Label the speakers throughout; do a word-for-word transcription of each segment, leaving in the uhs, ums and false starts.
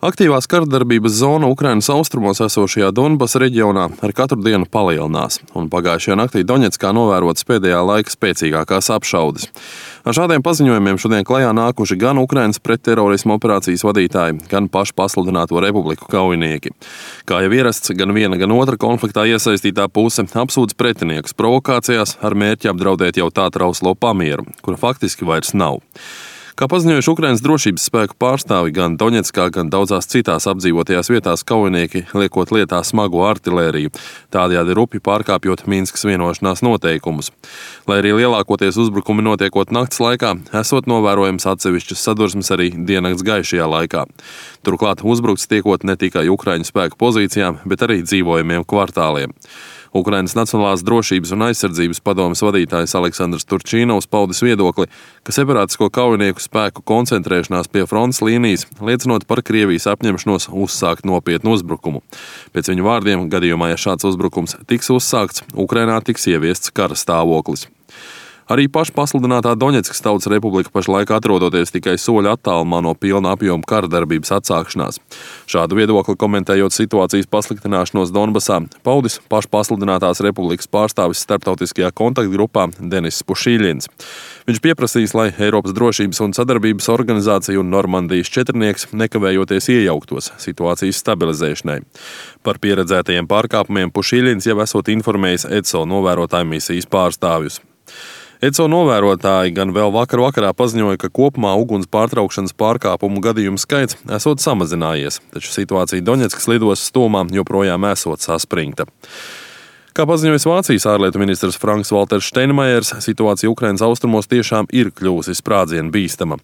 Speaker 1: Aktīvās karadarbības zona Ukrainas austrumos esošajā Donbasa reģionā ar katru dienu palielinās, un pagājušajā naktī Doņetskā novērotas pēdējā laika spēcīgākās apšaudes. Ar šādiem paziņojumiem šodien klajā nākuši gan Ukrainas pretterorisma operācijas vadītāji, gan pašu pasludināto republiku kaujinieki. Kā jau ierasts, gan viena, gan otra konfliktā iesaistītā puse apsūdz pretiniekus provokācijās ar mērķi apdraudēt jau tā trauslo pamieru, kura faktiski vairs nav. Kā paziņojuši Ukrainas drošības spēku pārstāvi, gan Doņetskā, gan daudzās citās apdzīvotajās vietās kaujinieki liekot lietā smago artilēriju, tādējādi rupi pārkāpjot Minskas vienošanās noteikumus. Lai arī lielākoties uzbrukumi notiekot nakts laikā, esot novērojams atsevišķas sadursmes arī diennakts gaišajā laikā. Turklāt uzbrukts tiekot ne tikai Ukraiņu spēku pozīcijām, bet arī dzīvojamiem kvartāliem. Ukrainas Nacionālās drošības un aizsardzības padomes vadītājs Aleksandrs Turčīnovs paudis viedokli, ka separātisko kaujinieku spēku koncentrēšanās pie frontes līnijas liecinot par Krievijas apņemšanos uzsākt nopietnu uzbrukumu. Pēc viņu vārdiem, gadījumā, ja šāds uzbrukums tiks uzsākts, Ukrainā tiks ieviests kara stāvoklis. Arī pašpasludinātā Doņetskas Tautas Republika pašlaik atrodoties tikai soļa attālumā no pilna apjoma kara darbības atsākšanās. Šādu viedokli komentējot situācijas pasliktināšanos Donbasā, paudis pašpasludinātās republikas pārstāvis starptautiskajā kontaktgrupā Deniss Pušīļins. Viņš pieprasīs, lai Eiropas drošības un sadarbības organizācija un Normandijas četrnieks nekavējoties iejauktos situācijas stabilizēšanai. Par pieredzētajiem pārkāpumiem Pušīļins jau esot informējis E C O novērotāju misijas pārstāvjus. E C O novērotāji gan vēl vakar vakarā paziņoja, ka kopumā uguns pārtraukšanas pārkāpumu gadījumu skaits esot samazinājies, taču situācija Doņetskas lidostas tuvumā joprojām esot saspringta. Kā paziņojis Vācijas ārlietu ministrs Franks Valters Steinmeiers, situācija Ukrainas austrumos tiešām ir kļuvusi sprādzienu bīstama.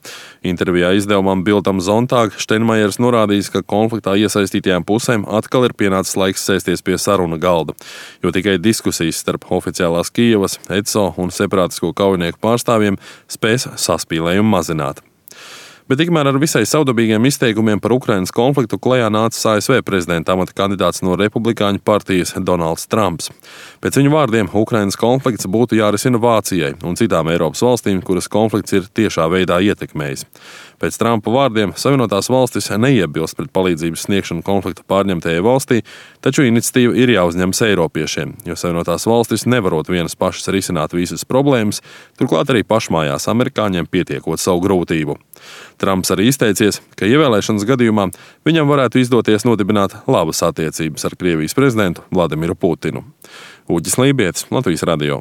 Speaker 1: Intervijā izdevumam Bild am Sonntag Steinmeiers norādījis, ka konfliktā iesaistītajām pusēm atkal ir pienācis laiks sēsties pie saruna galda, jo tikai diskusijas starp oficiālās Kijevas, E C O un separātisko kaujinieku pārstāvjiem spēs saspīlējumu mazināt. Bet tikmēr ar visai savdabīgiem izteikumiem par Ukrainas konfliktu klajā nācis A S V prezidenta amata kandidāts no republikāņu partijas Donalds Trumps. Pēc viņu vārdiem Ukrainas konflikts būtu jārisina Vācijai un citām Eiropas valstīm, kuras konflikts ir tiešā veidā ietekmējis. Pēc Trumpa vārdiem Savienotās valstis neiebilst pret palīdzības sniegšanu konflikta pārņemtajai valstī, taču iniciatīva ir jāuzņemas eiropiešiem, jo Savienotās valstis nevarot vienas pašas risināt visas problēmas, turklāt arī pašmājās amerikāņiem pietiekot savu grūtību. Trumps arī izteicies, ka ievēlēšanas gadījumā viņam varētu izdoties nodibināt labas attiecības ar Krievijas prezidentu Vladimiru Putinu. Uģis Lībietis, Latvijas radio.